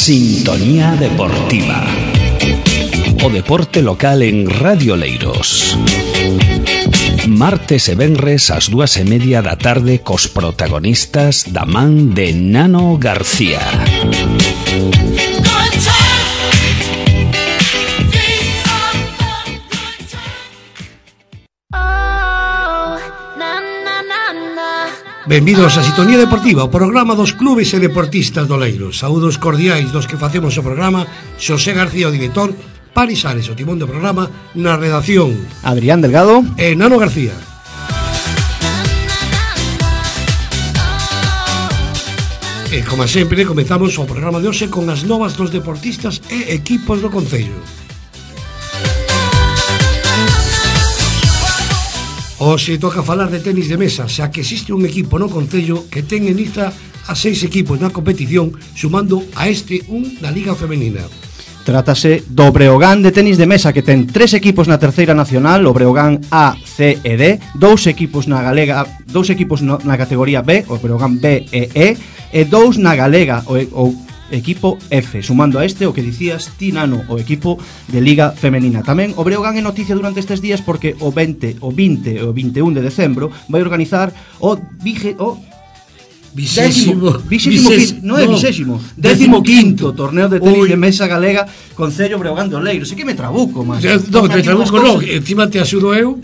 Sintonía Deportiva. O deporte local en Radio Oleiros. Martes e venres ás 2:30 da tarde cos protagonistas da man de Nano García. Benvidos a Sintonía Deportiva, o programa dos clubes e deportistas do Oleiros. Saúdos cordiais dos que facemos o programa, Xosé García, o director, Paris Ares, o timón do programa, na redacción Adrián Delgado e Nano García. E como sempre, comezamos o programa de hoxe con as novas dos deportistas e equipos do Concello. Hoxe toca falar de tenis de mesa, xa que existe un equipo no Concello que ten en lista a 6 equipos na competición, sumando a este un da Liga Femenina. Trátase do Breogán de tenis de mesa, que ten 3 equipos na terceira nacional, o Breogán A, C e D, 2 equipos na galega, 2 equipos na categoría B, o Breogán B e E, e 2 na galega, o equipo F, sumando a este o que dicías ti, Nano, o equipo de Liga Femenina. Tamén o Breogán é noticia durante estes días porque o 20 e o 21 de decembro vai organizar o 15º torneo de tenis de mesa galega Concello Breogán de Oleiros. E que me trabuco, máis. Non, te trabuco non, encima te axudo eu.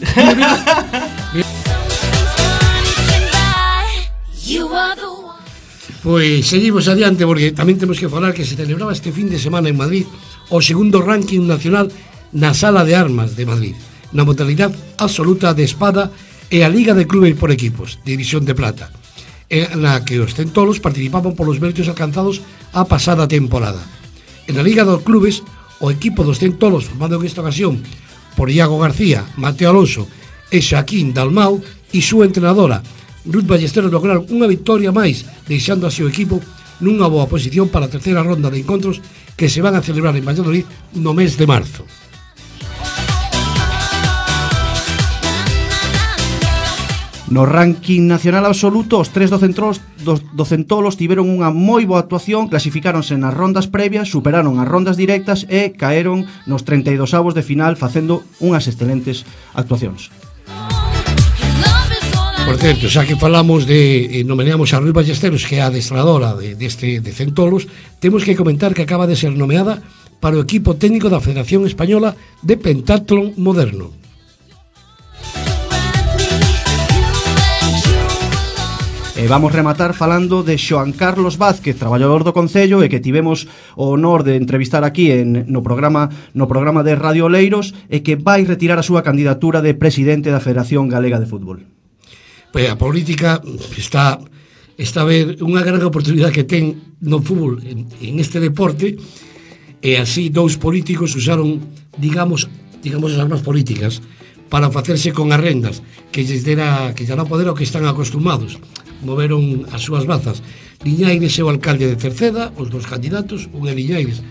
Pois seguimos adiante porque tamén temos que falar que se celebraba este fin de semana en Madrid o segundo ranking nacional na Sala de Armas de Madrid, na modalidade absoluta de espada e a Liga de Clubes por Equipos, División de Plata, na que os centolos participaban polos méritos alcanzados a pasada temporada. En a Liga dos Clubes, o equipo dos centolos, formado en esta ocasión por Iago García, Mateo Alonso e Xaquín Dalmau e súa entrenadora Ruth Ballesteros, lograron unha victoria máis, deixando así o equipo nunha boa posición para a terceira ronda de encontros que se van a celebrar en Valladolid no mes de marzo. No ranking nacional absoluto, os 3 do centolos tiveron unha moi boa actuación, clasificáronse nas rondas previas, superaron as rondas directas e caeron nos 32avos de final facendo unhas excelentes actuacións. Por certo, xa que falamos nomeamos a Ruth Ballesteros, que é a adestradora de centolos, temos que comentar que acaba de ser nomeada para o equipo técnico da Federación Española de Pentatlón Moderno. E vamos rematar falando de Xoan Carlos Vázquez, traballador do Concello, e que tivemos o honor de entrevistar aquí no programa de Radio Oleiros, e que vai retirar a súa candidatura de presidente da Federación Galega de Fútbol. Pois a política está a ver unha gran oportunidade que ten no fútbol en este deporte, e así dous políticos usaron, digamos as armas políticas para facerse con as rendas que lles dará poder ao que están acostumados. Moveron as súas bazas. Liñaires é o alcalde de Cerceda, os dos candidatos, un é Liñaires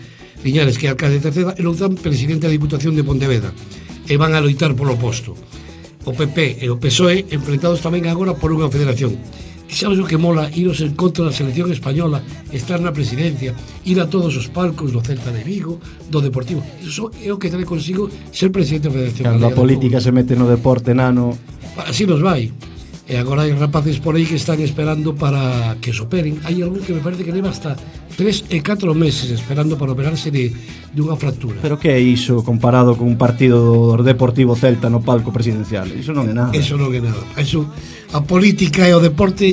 que é alcalde de Cerceda, e Louzán, presidente da Diputación de Pontevedra, e van a loitar polo posto. O PP e o PSOE enfrentados tamén agora por unha federación. E sabes o que mola? Iros en contra da selección española, estar na presidencia, ir a todos os palcos do Celta de Vigo, do Deportivo. Iso é o que trae consigo ser presidente da Federación. Cando a política se mete no deporte, Nano, así nos vai. E agora hai rapaces por aí que están esperando para que se operen. Hai algún que me parece que leva hasta 3 e 4 meses esperando para operarse de unha fractura. Pero que é iso comparado con un partido do Deportivo Celta no palco presidencial? Iso non é nada. Eso non é nada. Eso, a política e o deporte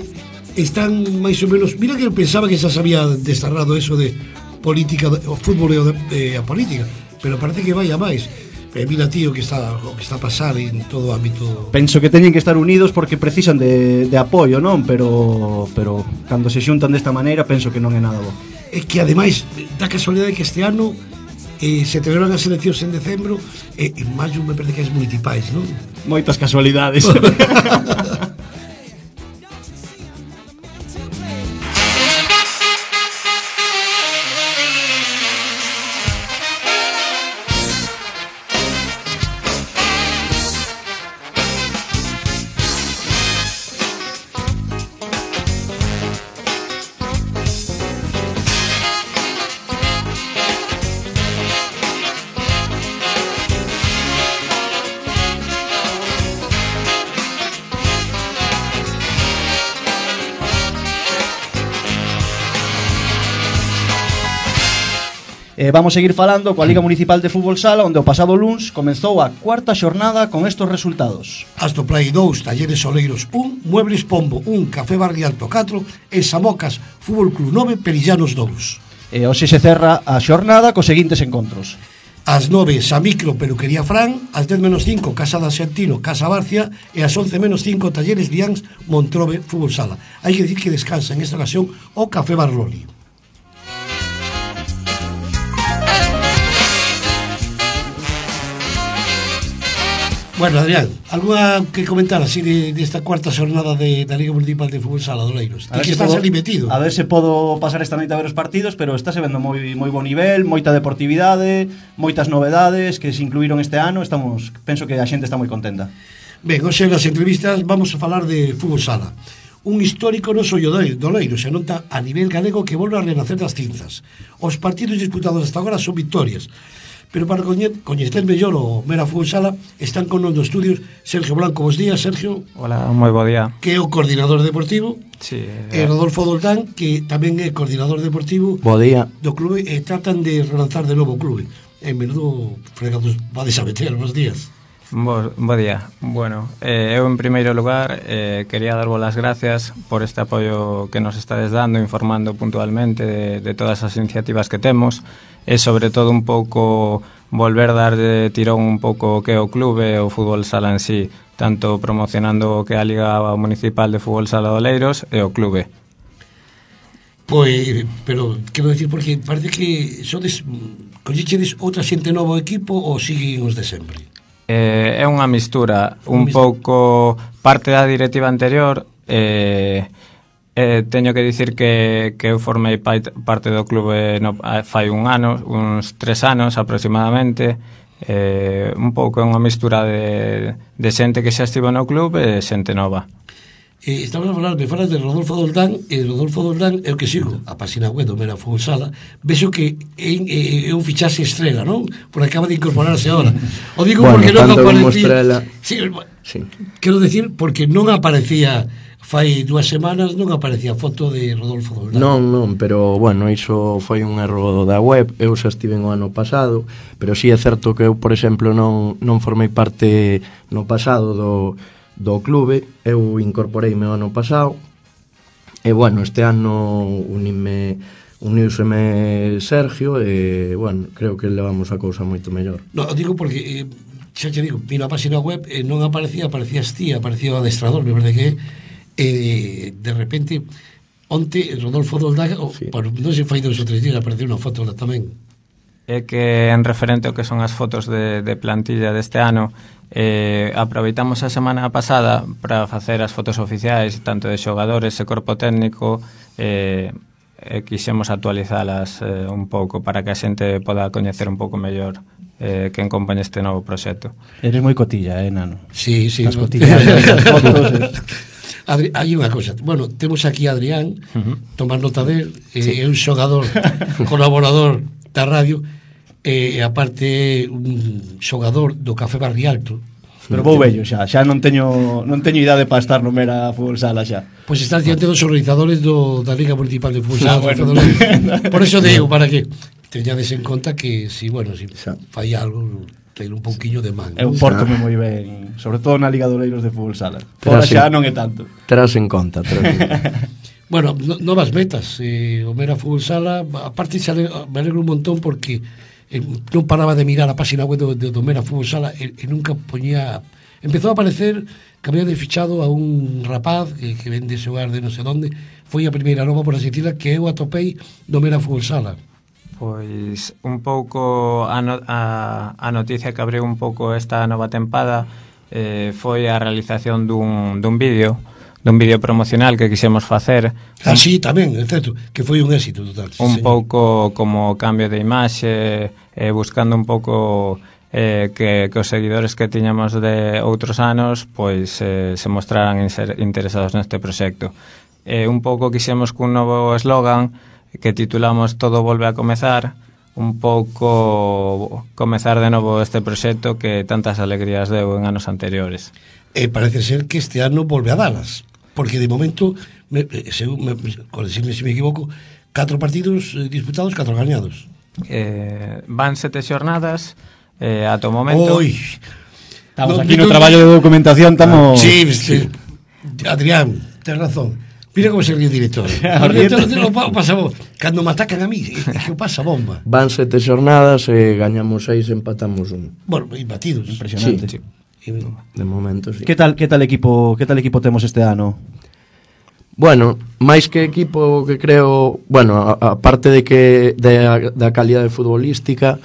están máis ou menos... Mira que eu pensaba que xa se había desterrado eso de política, o fútbol e a política, pero parece que vai a máis. Mira, tío, o que está a pasar en todo o ámbito. Penso que teñen que estar unidos porque precisan de apoio, non? Pero cando se xuntan desta maneira penso que non é nada bo. É que ademais da casualidade que este ano se celebran as eleccións en decembro e en maio me parece que as municipais, non? Moitas casualidades. Vamos seguir falando coa Liga Municipal de Fútbol Sala, onde o pasado luns comezou a cuarta xornada con estos resultados. Astoplay 2, Talleres Oleiros 1, Muebles Pombo 1, Café Barrialto 4 e Samocas Fútbol Club 9, Perillanos 2. E hoxe se cerra a xornada cos seguintes encontros. Ás 9, Samicro, Peluquería Fran, ás 10 menos 5, Casa da Xentino, Casa Barcia, e ás 11 menos 5, Talleres Lians, Montrobe, Fútbol Sala. Hai que dicir que descansa en esta ocasión o Café Barloli. Bueno, Adrián, alguna que comentar así desta cuarta xornada da Liga Municipal de Fútbol Sala do Oleiros? Ti que estás ali metido. A ver se podo pasar esta noite a ver os partidos, pero estáse vendo moi bo nivel, moita deportividade, moitas novedades que se incluíron este ano. Penso que a xente está moi contenta. Ben, hoxe nas entrevistas vamos a falar de Fútbol Sala. Un histórico non só do Oleiros, se nota a nivel galego que volve a renacer das cinzas. Os partidos disputados hasta agora son victorias. Pero para coñecer mellor o Mera Fútbol Sala están con nos dos estudios Sergio Blanco. Bos días, Sergio. Hola, moi bo día. Que é o coordinador deportivo. Sí. E Rodolfo Doldán, que tamén é coordinador deportivo. Bo día. Do clube, e tratan de relanzar de novo o clube. En menudo fregados vades a meter. Bos días. Bo día. Bueno, eu en primeiro lugar quería darvos as gracias por este apoio que nos estades dando, informando puntualmente de todas as iniciativas que temos, e sobre todo un pouco volver dar de tirón un pouco o que é o clube e o fútbol sala en sí, tanto promocionando o que é a Liga Municipal de Fútbol Sala de Oleiros e o clube. Pois, pero quero decir, porque parece que collichedes outra xente nova ao equipo ou siguen os de sempre? É unha mistura, un pouco parte da directiva anterior. Teño que dicir que eu formei parte do clube fai uns 3 anos aproximadamente. Un pouco é unha mistura de xente que xa estivo no clube e xente nova. Estamos a falar, me falas de Rodolfo Doldán, e Rodolfo Doldán é o que sigo a página web do Mera Fútbol Sala. Vexo que é un fichaxe estrela, non? Por acaba de incorporarse agora. O digo bueno, porque non aparecía. Sí. Quero decir, porque non aparecía fai 2 semanas, non aparecía foto de Rodolfo Doldán. Non, pero bueno, iso foi un erro da web. Eu xa estive o ano pasado, pero si é certo que eu, por exemplo, non formei parte no pasado do clube. Eu incorporeime o ano pasado e bueno, este ano uniuseme Sergio e bueno, creo que levamos a cousa moito mellor. No, digo porque xa te digo, vino a página web e non aparecías ti, aparecía o adestrador, me parece que de repente onte Rodolfo Doldán, sí. Non se fai 2 ou 3 días apareceu unha foto tamén. É que en referente ao que son as fotos de plantilla deste ano, aproveitamos a semana pasada para facer as fotos oficiais tanto de xogadores e corpo técnico, quixemos actualizalas un pouco para que a xente poda coñecer un pouco mellor quen acompaña este novo proxecto. Eres moi cotilla, Nano? Sí, as cotillas das fotos. Hai unha cousa, bueno, temos aquí a Adrián, tomar nota del, é un xogador colaborador da radio, e aparte un xogador do Café Barrialto. Pero vou vello xa non teño idade para estar no Mera Fútbol Sala xa. Pois estás diante dos organizadores da Liga Municipal de Fútbol Sala. Bueno. Por eso digo, para que teñades en conta que si fai algo, ten un pouquiño de man. Eu pórtome moi ben, sobre todo na Liga de Oleiros de Fútbol Sala. Fora xa non é tanto. Terás en conta. Bueno, novas metas. O Mera Fútbol Sala, aparte me alegro un montón porque non paraba de mirar a página web do Mera Fútbol Sala e nunca poñía. Empezou a aparecer que había fichado a un rapaz que vende xogar de non sei onde. Foi a primeira nova, por así decirla, que eu atopei do Mera Fútbol Sala. Pois un pouco a noticia que abriu un pouco esta nova tempada foi a realización dun vídeo promocional que quixemos facer. Sí, tamén, é certo, que foi un éxito total. Un pouco como cambio de imaxe, buscando un pouco que os seguidores que tiñamos de outros anos pois se mostraran interesados neste proxecto. Un pouco quixemos cun novo eslogan que titulamos Todo volve a comezar, un pouco comezar de novo este proxecto que tantas alegrías deu en anos anteriores. Parece ser que este ano volve a dalas, porque de momento, corregidme se me equivoco, 4 partidos disputados, 4 gañados. van 7 xornadas ata o momento. Oi, Estamos No, aquí no, no traballo de documentación, estamos... sí, Adrián, tens razón. Mira como se ríe o director. O director o pasa bomba. Cando me atacan a mí, que o pasa bomba. Van 7 xornadas e gañamos 6, empatamos 1. Bueno, imbatidos. Impresionante. Sí. De momento, sí. Que tal equipo temos este ano? Bueno, máis que equipo que creo, bueno, a parte de que da calidade futbolística,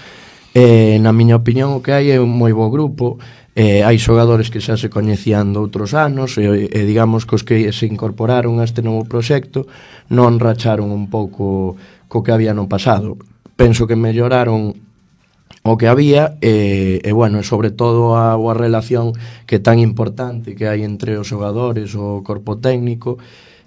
na miña opinión o que hai é un moi bo grupo. Hai xogadores que xa se coñecían de outros anos e digamos que os que se incorporaron a este novo proxecto non racharon un pouco co que había no pasado. Penso que melloraron o que había e bueno, sobre todo a relación que tan importante que hai entre os xogadores, o corpo técnico.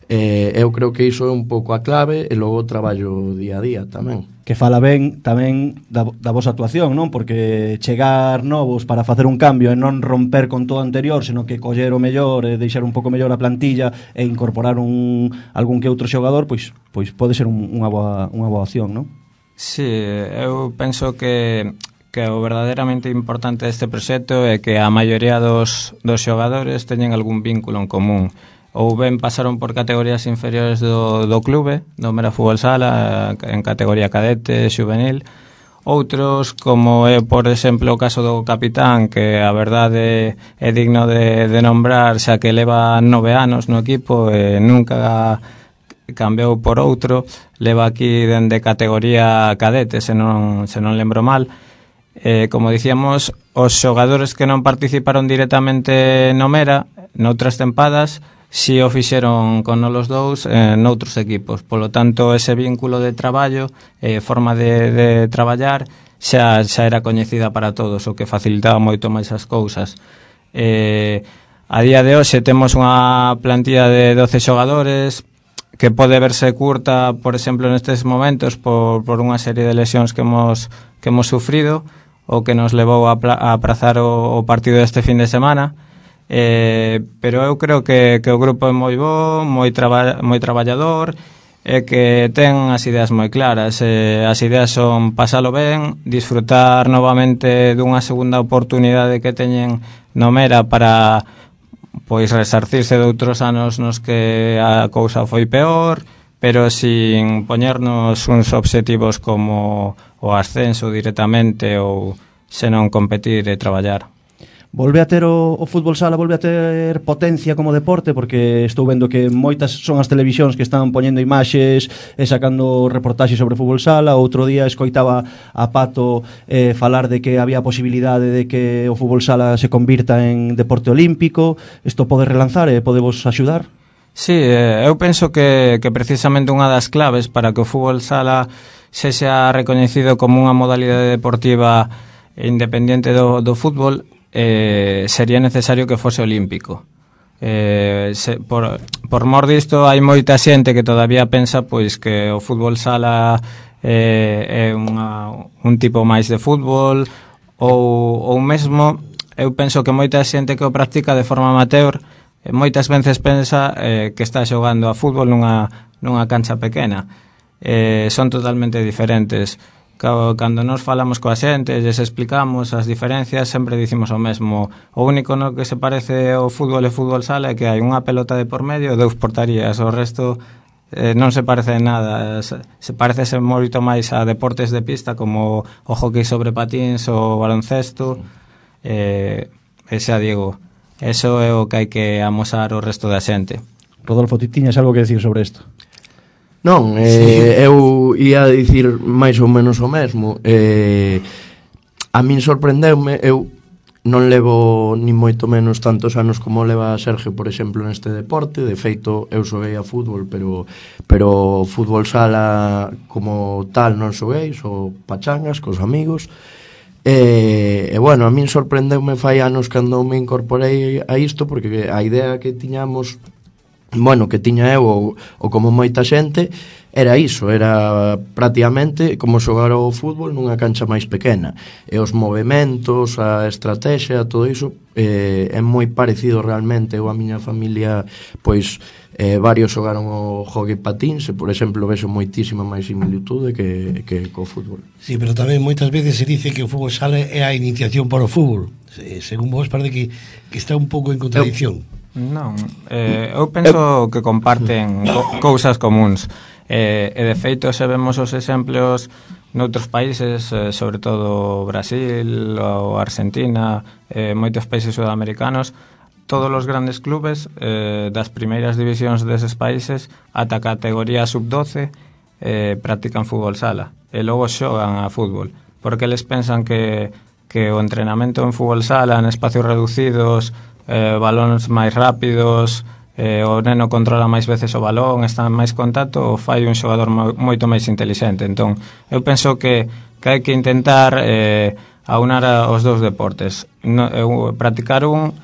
Eu creo que iso é un pouco a clave e logo o traballo día a día tamén. Que fala ben tamén da vosa actuación, non? Porque chegar novos para facer un cambio e non romper con todo o anterior, senón que coller o mellor e deixar un pouco mellor a plantilla e incorporar algún que outro xogador, pois pode ser unha boa opción, non? Sí, eu penso que o verdadeiramente importante deste proxecto é que a maioría dos xogadores teñen algún vínculo en común. Ou ben pasaron por categorías inferiores do clube, do Mera Fútbol Sala, en categoría cadete, xuvenil. Outros, como é, por exemplo, o caso do capitán, que a verdade é digno de nombrar, xa que leva 9 anos no equipo e nunca cambiou por outro, leva aquí dende categoría cadete, se non lembro mal. Como dicíamos, os xogadores que non participaron directamente no Mera, noutras tempadas, si o fixeron con os dous noutros equipos. Polo tanto, ese vínculo de traballo, forma de traballar, xa era coñecida para todos, o que facilitaba moito máis as cousas. A día de hoxe temos unha plantilla de 12 xogadores que pode verse curta, por exemplo, nestes momentos por unha serie de lesións que hemos sufrido, o que nos levou a aprazar o partido deste fin de semana. Pero eu creo que o grupo é moi bo, moi traballador e que ten as ideas moi claras. As ideas son pasalo ben, disfrutar novamente dunha segunda oportunidade que teñen no Mera para pois resarcirse de outros anos nos que a cousa foi peor, pero sin poñernos uns obxectivos como o ascenso directamente ou senón competir e traballar. Volve a ter o fútbol sala, volve a ter potencia como deporte, porque estou vendo que moitas son as televisións que están poñendo imaxes e sacando reportaxes sobre fútbol sala. Outro día escoitaba a Pato falar de que había posibilidade de que o fútbol sala se convirta en deporte olímpico. Isto pode relanzar e podevos axudar? Sí, eu penso que precisamente unha das claves para que o fútbol sala sexa recoñecido como unha modalidade deportiva independente do fútbol sería necesario que fose olímpico. Por mor disto, hai moita xente que todavía pensa pois que o fútbol sala é un tipo máis de fútbol ou mesmo eu penso que moita xente que o practica de forma amateur moitas veces pensa que está xogando a fútbol nunha cancha pequena. Son totalmente diferentes. Cando nos falamos coa xente, lles explicamos as diferencias, sempre dicimos o mesmo. O único no que se parece ao fútbol e fútbol sala é que hai unha pelota de por medio e 2 portarías. O resto non se parece en nada. Se parece moito máis a deportes de pista como o hockey sobre patins ou o baloncesto. Xa digo, eso é o que hai que amosar o resto da xente. Rodolfo, ti tiñas algo que decir sobre isto? Non, eu ia dicir máis ou menos o mesmo. A min sorprendeume, eu non levo ni moito menos tantos anos como leva Sergio, por exemplo, neste deporte. De feito, eu xoguei a fútbol, pero fútbol sala como tal non xoguei, só pachangas cos amigos. E bueno, a min sorprendeume fai anos cando me incorporei a isto, porque a idea que tiñamos, bueno, que tiña eu ou como moita xente, era iso, era prácticamente como xogar ao fútbol nunha cancha máis pequena, e os movementos, a estrategia, todo iso é moi parecido realmente. Eu a miña familia, pois varios xogaron o hockey patíns, e por exemplo vexo moitísima máis similitude que co fútbol. Sí, pero tamén moitas veces se dice que o fútbol sala é a iniciación para o fútbol. Según vos parece que está un pouco en contradicción. Non, eu penso que comparten cousas comuns, e de feito se vemos os exemplos noutros países, sobre todo Brasil ou Argentina, moitos países sudamericanos, todos os grandes clubes das primeiras divisións deses países ata a categoría sub-12 practican fútbol sala e logo xogan a fútbol, porque eles pensan que o entrenamento en fútbol sala en espacios reducidos, balóns máis rápidos, o neno controla máis veces o balón, está en máis contacto, o fai un xogador moito máis intelixente. Entón, eu penso que hai que intentar aunar os dous deportes. Practicar un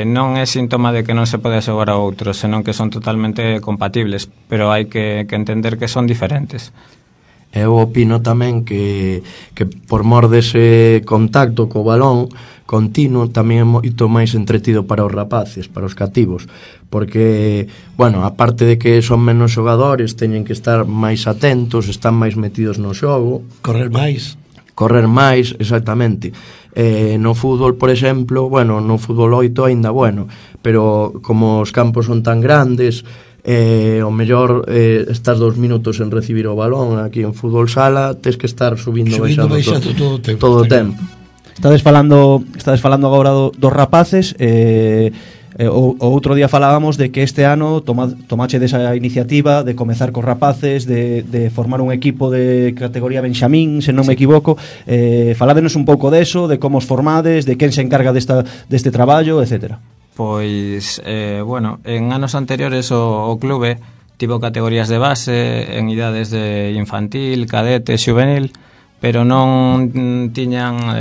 non é síntoma de que non se pode xogar a outro, senón que son totalmente compatibles, pero hai que entender que son diferentes. Eu opino tamén que por mor dese contacto co balón continuo tamén é moito máis entretido para os rapaces, para os cativos, porque, bueno, aparte de que son menos xogadores, teñen que estar máis atentos, están máis metidos no xogo, Correr máis, exactamente. No fútbol, por exemplo, bueno, no fútbol 8 aínda bueno, pero como os campos son tan grandes, o mellor estás 2 minutos en recibir o balón. Aquí en fútbol sala tes que estar subindo baixando todo o tempo. Estades falando agora dos rapaces. O outro día falábamos de que este ano tomache desa iniciativa de comezar cos rapaces, de formar un equipo de categoría Benxamín, se non me equivoco. Faládenos un pouco deso, de como os formades, de quen se encarga deste traballo, etcétera. Pois, bueno, en anos anteriores o clube tivo categorías de base en idades de infantil, cadete, xuvenil, pero non tiñan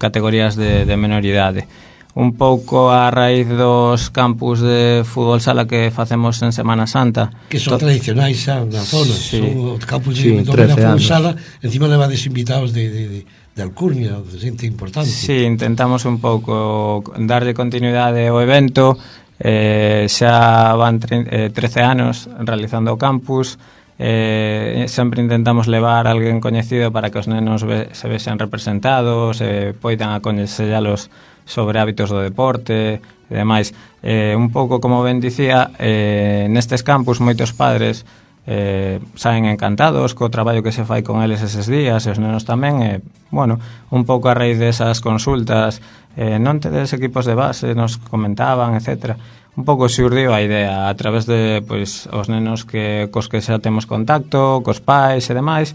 categorías de menor idade. Un pouco a raíz dos campus de fútbol sala que facemos en Semana Santa, que son tradicionais xa na zona, sí, son os campus de fútbol sala, encima levades invitados de Alcurnia, de xente importante. Sí, intentamos un pouco darlle continuidade ao evento. Xa van 13 anos realizando o campus. Sempre intentamos levar alguén coñecido para que os nenos se vexan representados, poidan aconselhalos sobre hábitos do deporte e demais. Un pouco como ben dicía, nestes campus moitos padres saen encantados co traballo que se fai con eles eses días, e os nenos tamén. Bueno, un pouco a raíz desas consultas, non tedes equipos de base, nos comentaban, etcétera. Un pouco xurdiu a idea a través de, pois, os nenos cos que xa temos contacto, cos pais e demais,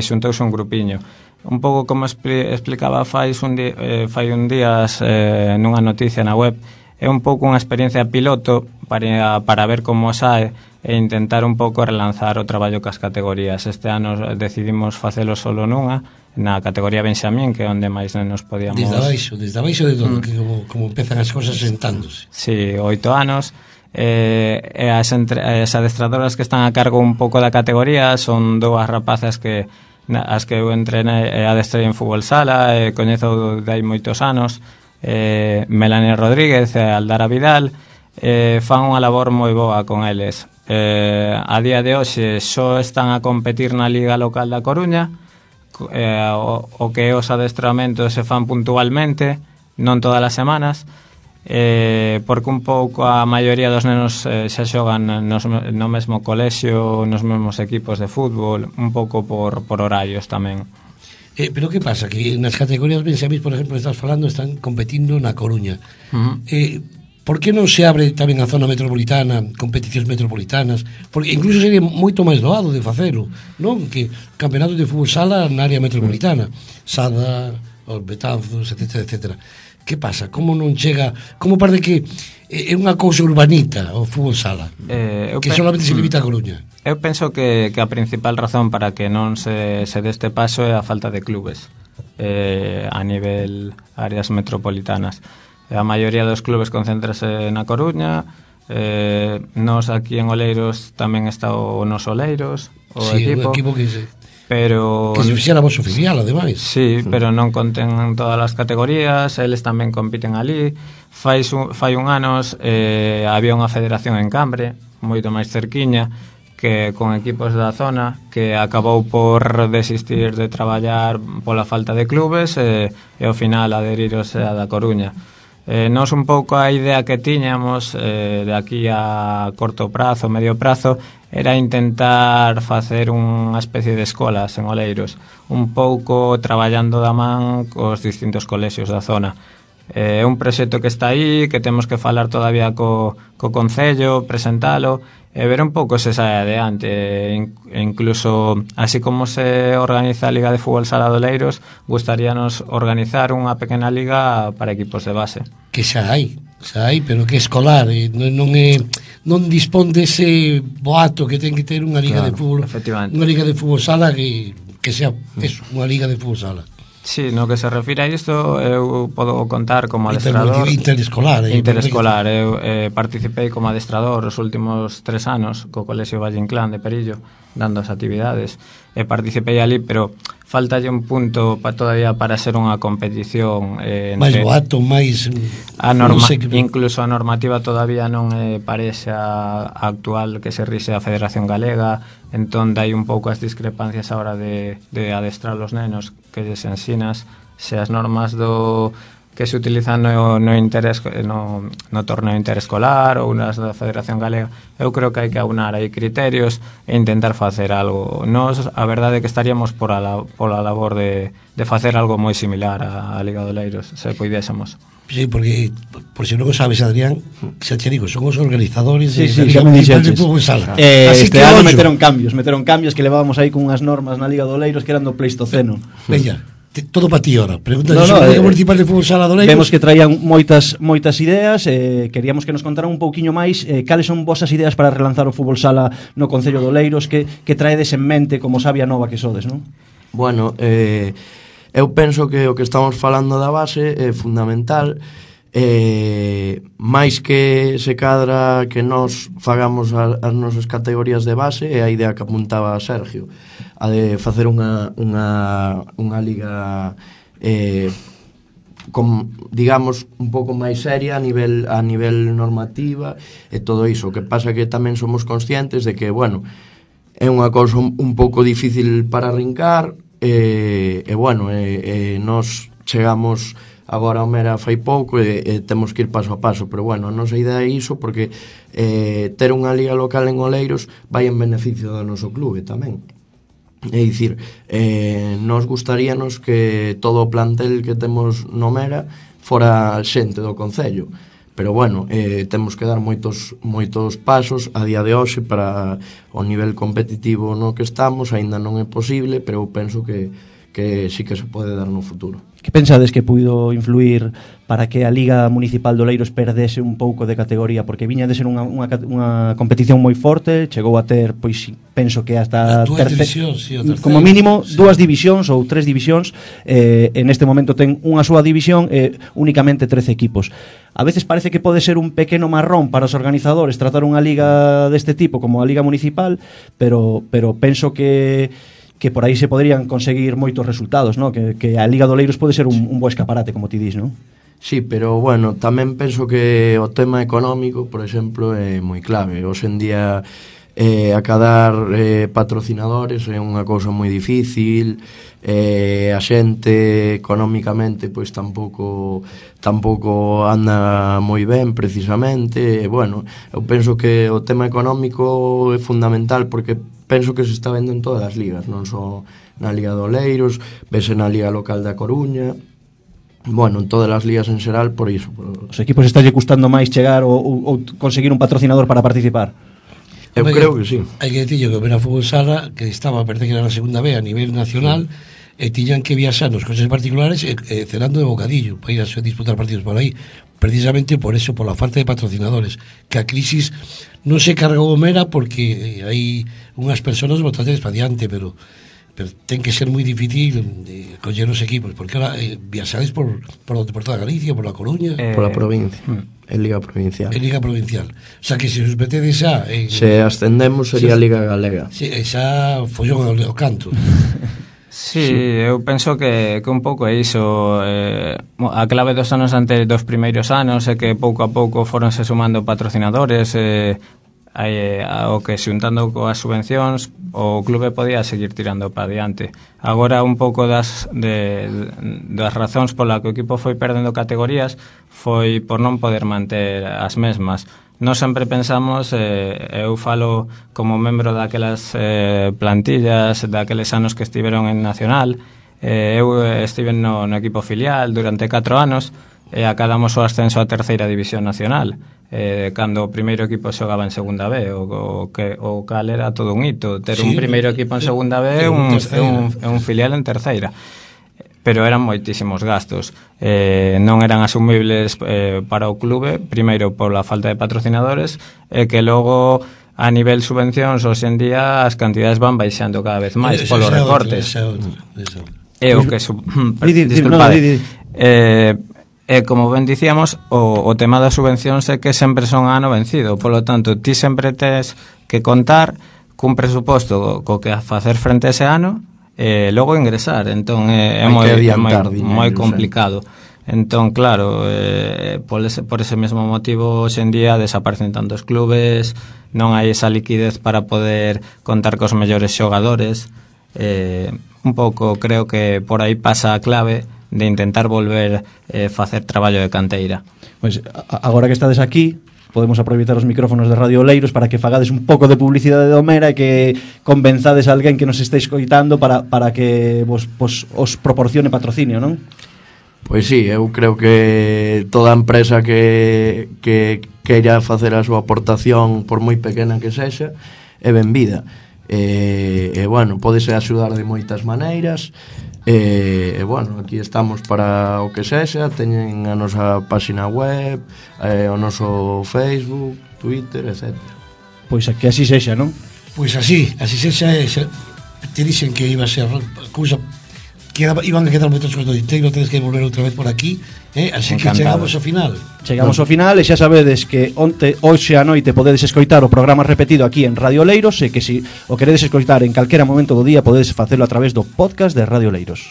xuntouse un grupiño. Un pouco como explicaba fai un días nunha noticia na web, é un pouco unha experiencia piloto para ver como sae e intentar un pouco relanzar o traballo cas categorías. Este ano decidimos facelo solo nunha, na categoría Benxamín, que é onde máis nenos podíamos... Desde abaixo de todo, que como empezan as cosas sentándose. Sí, 8 anos. E as adestradoras que están a cargo un pouco da categoría son 2 rapazas as que eu entrenei e adestrei en fútbol sala, coñezo de hai moitos anos, Melanie Rodríguez e Aldara Vidal, fan unha labor moi boa con eles. A día de hoxe só están a competir na Liga Local da Coruña, o que os adestramentos se fan puntualmente, non todas as semanas, porque un pouco a maioría dos nenos xa xogan no mesmo colexio, nos mesmos equipos de fútbol, un pouco por horarios tamén. Pero que pasa? Que nas categorías Benxamín, por exemplo, estás falando, están competindo na Coruña. Por que non se abre tamén a zona metropolitana, competicións metropolitanas? Porque incluso sería moito máis doado de facelo, non? Que campeonatos de fútbol sala na área metropolitana, Sada, os Betanzos, etc. Que pasa? Como non chega? Como parece que é unha cousa urbanita o fútbol sala, que solamente se limita a Coruña? Eu penso que a principal razón para que non se deste paso é a falta de clubes a nivel áreas metropolitanas. A maioría dos clubes concéntrase na Coruña, Nos aquí en Oleiros tamén está o noso Oleiros, o sí, equipo. Un equipo que se fixéramos oficial, ademais. Sí, pero non conten todas as categorías, eles tamén compiten ali. Fai un anos había unha federación en Cambre, moito máis cerquiña, que con equipos da zona, que acabou por desistir de traballar pola falta de clubes e ao final adherirose a da Coruña. Nos un pouco a idea que tiñamos de aquí a corto prazo, medio prazo, era intentar facer unha especie de escolas en Oleiros, un pouco traballando da man cos distintos colexios da zona. É un proxecto que está aí, que temos que falar todavía co Concello, presentalo e ver un pouco se sae adiante. Incluso, así como se organiza a Liga de Fútbol Sala de Oleiros, gustaríanos organizar unha pequena liga para equipos de base. Que xa hai, pero que escolar, non dispón dese boato que ten que ter unha liga de fútbol, unha liga de fútbol sala que sea eso, unha liga de fútbol sala. Sí, no que se refire a isto, eu podo contar como adestrador Interescolar. Eu participei como adestrador os últimos 3 anos co Colexio Valle Inclán de Perillo, dando as actividades, e participei ali, pero faltalle un punto todavía para ser unha competición máis boato, máis incluso a normativa todavía non parece a actual que se rixe a Federación Galega, entón dai un pouco as discrepancias a hora de adestrar os nenos, que lles ensinas se as normas que se utilizan no torneo interescolar ou nas da Federación Galega. Eu creo que hai que aunar aí criterios e intentar facer algo. Nos, a verdade é que estaríamos pola labor de facer algo moi similar á Liga de Oleiros, se puidésemos. Sí, porque, por si non o sabes, Adrián, xa te digo, son os organizadores de Liga Municipal de Fútbol Sala. Este ano meteron cambios que levábamos aí cunhas normas na Liga de Oleiros que eran do Pleistoceno. Veña, todo para ti ahora. Pregunta sobre a Liga Municipal de Fútbol Sala de Oleiros. Vemos que traían moitas ideas, queríamos que nos contaran un pouquiño máis cales son vosas ideas para relanzar o fútbol sala no Concello de Oleiros, que traedes en mente como sabia nova que sodes, non? Bueno, eu penso que o que estamos falando da base é fundamental, máis que se cadra que nos fagamos as nosas categorías de base, é a idea que apuntaba Sergio, a de facer unha liga digamos un pouco máis seria a nivel normativa e todo iso. O que pasa que tamén somos conscientes de que, bueno, é unha cousa un pouco difícil para arrincar nos chegamos agora ao Mera fai pouco e temos que ir paso a paso, pero bueno, a nosa idea é iso, porque ter unha liga local en Oleiros vai en beneficio do noso clube tamén. É dicir, nos gustaríanos que todo o plantel que temos no Mera fora xente do Concello, pero bueno, temos que dar moitos pasos a día de hoxe para o nivel competitivo no que estamos, aínda non é posible, pero eu penso que sí que se pode dar no futuro. Que pensades que puido influir para que a Liga Municipal de Oleiros perdese un pouco de categoría? Porque viña de ser unha competición moi forte, chegou a ter, pois penso que hasta como mínimo 2 divisións ou 3 divisións, en este momento ten unha súa división e únicamente 13 equipos. A veces parece que pode ser un pequeno marrón para os organizadores tratar unha liga deste tipo como a Liga Municipal, pero penso que por aí se poderían conseguir moitos resultados, ¿no? Que a Liga de Oleiros pode ser un bo escaparate, como ti dis, ¿no? Sí, pero bueno, tamén penso que o tema económico, por exemplo, é moi clave. Hoxe en día acadar patrocinadores é unha cousa moi difícil, a xente económicamente pois tampouco anda moi ben precisamente, e bueno, eu penso que o tema económico é fundamental, porque penso que se está vendo en todas as ligas, non só na Liga de Oleiros, vese na Liga Local da Coruña, bueno, en todas as ligas en xeral, por iso. Os equipos estálle custando máis chegar ou conseguir un patrocinador para participar? Eu creo que sí. Hai que dicirlo que o Mera Fútbol Sala, que estaba, parece que era na segunda B a nivel nacional, e tiñan que viaxar nos coches particulares cenando de bocadillo para ir a disputar partidos por aí, precisamente por eso, por la falta de patrocinadores, que a crisis non se cargou o Mera porque hai unhas persoas bastante para diante, pero pero ten que ser moi difícil coller os equipos, porque ahora viaxades por toda Galicia, por La Coruña, por a provincia, en Liga Provincial. En Liga Provincial. O sea que se os metedes xa se ascendemos sería Liga Galega. Xa follón ao canto. Sí, eu penso que un pouco é iso. A clave dos anos dos primeiros anos é que pouco a pouco foronse sumando patrocinadores, o que xuntando coas subvencións o clube podía seguir tirando para diante. Agora un pouco das razóns pola que o equipo foi perdendo categorías foi por non poder manter as mesmas. Nós sempre pensamos, eu falo como membro daquelas plantillas, daqueles anos que estiveron en Nacional, eu estive no equipo filial durante 4 anos e acadamos o ascenso a terceira división nacional, cando o primeiro equipo xogaba en segunda B, o cal era todo un hito, ter un primeiro equipo en segunda B e un filial en terceira, pero eran moitísimos gastos, non eran asumibles para o clube, primeiro pola falta de patrocinadores e que logo a nivel subvencións hoxe en día as cantidades van baixando cada vez máis polos recortes. E o que como ben dicíamos, o tema das subvencións é que sempre son a ano vencido, polo tanto, ti sempre tes que contar cun presuposto co que facer frente a ese ano e logo ingresar, entón é moi complicado. Entón, claro, por ese mesmo motivo hoxe en día desaparecen tantos clubes, non hai esa liquidez para poder contar cos mellores xogadores. Un pouco creo que por aí pasa a clave de intentar volver facer traballo de canteira. Pois agora que estades aquí, podemos aproveitar os micrófonos de Radio Oleiros para que fagades un pouco de publicidade do Mera e que convenzades a alguén que nos estéis coitando para que vos os proporcione patrocinio, non? Pois sí, eu creo que toda empresa que queira facer a súa aportación, por moi pequena que sexa, é benvida. Bueno, podese axudar de moitas maneiras. Bueno, aquí estamos para o que sexa. Teñen a nosa página web, o noso Facebook, Twitter, etc. Pois que así sexa, non? Pois así sexa. Te dixen que iba a ser cousa que iban a quedar moitas cousas do Diteiro, tedes que volver outra vez por aquí, así que chegamos ao final. Chegamos ao final e xa sabedes que hoxe a noite podedes escoitar o programa repetido aquí en Radio Oleiros e que se o queredes escoitar en calquera momento do día podedes facelo a través do podcast de Radio Oleiros.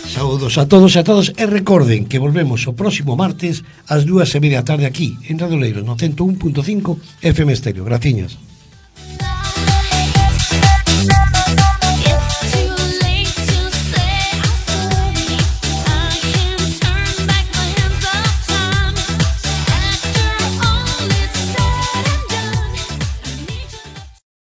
Saúdos a todos e a todas e recorden que volvemos o próximo martes ás 2:30 da tarde aquí en Radio Oleiros no 101.5 FM Estéreo. Graciñas.